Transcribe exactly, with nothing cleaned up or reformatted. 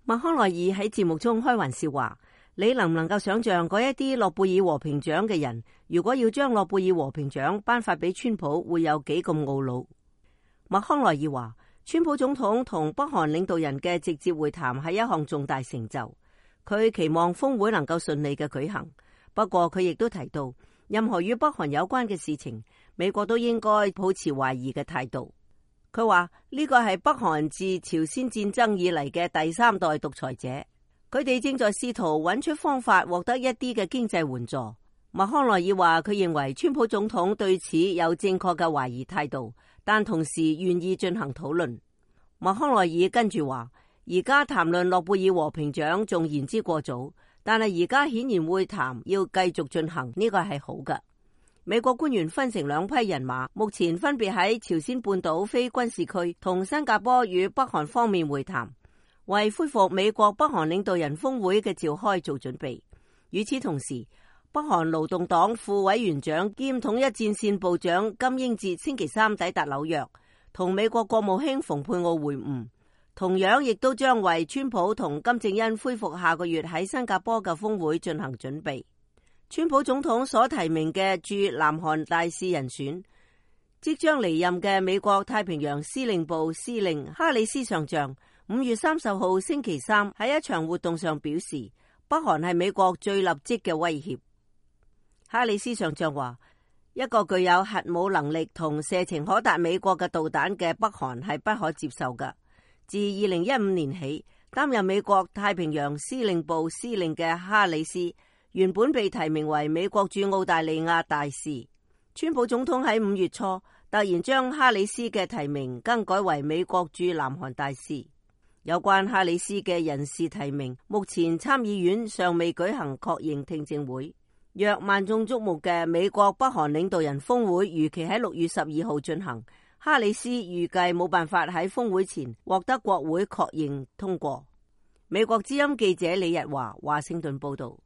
麥康奈爾喺節目中開玩笑話：你能唔能夠想象嗰一啲諾貝爾和平獎嘅人，如果要將諾貝爾和平獎頒發俾川普，會有幾咁懊惱？麥康奈爾話：川普總統同北韓領導人嘅直接會談係一項重大成就，佢期望峰會能夠順利嘅舉行。不過佢亦都提到，任何與北韓有關嘅事情，美國都應該保持懷疑嘅態度。佢話呢個係北韓自朝鮮戰爭以嚟嘅第三代獨裁者，佢哋正在試圖揾出方法獲得一啲嘅經濟援助。麥康奈爾話佢認為川普總統對此有正確嘅懷疑態度，但同時願意進行討論。麥康奈爾跟住話，而家談論諾貝爾和平獎仲言之過早，但係而家顯然會談要繼續進行，呢個係好嘅。美國官員分成兩批人馬，目前分別喺朝鮮半島非軍事區同新加坡與北韓方面會談，為恢復美國北韓領導人峰會嘅召開做準備。與此同時，北韓勞動黨副委員長兼統一戰線部長金英哲星期三抵達紐約，同美國國務卿蓬佩奧會晤，同樣亦都將為川普同金正恩恢復下個月喺新加坡嘅峰會進行準備。川普總統所提名嘅駐南韓大使人選，即將離任嘅美國太平洋司令部司令哈里斯上將，五月三十號星期三喺一場活動上表示，北韓係美國最立即嘅威脅。哈里斯上將話，一個具有核武能力同射程可達美國嘅導彈嘅北韓係不可接受嘅。自二零一五年起，擔任美國太平洋司令部司令嘅哈里斯，原本被提名為美國駐澳大利亞大使，川普總統喺五月初突然將哈里斯嘅提名更改為美國駐南韓大使。有關哈里斯嘅人事提名，目前參議院尚未舉行確認聽證會。若萬眾矚目嘅美國北韓領導人峰會如期喺六月十二號進行，哈里斯預計冇辦法喺峰會前獲得國會確認通過。美國之音記者李日華華盛頓報道。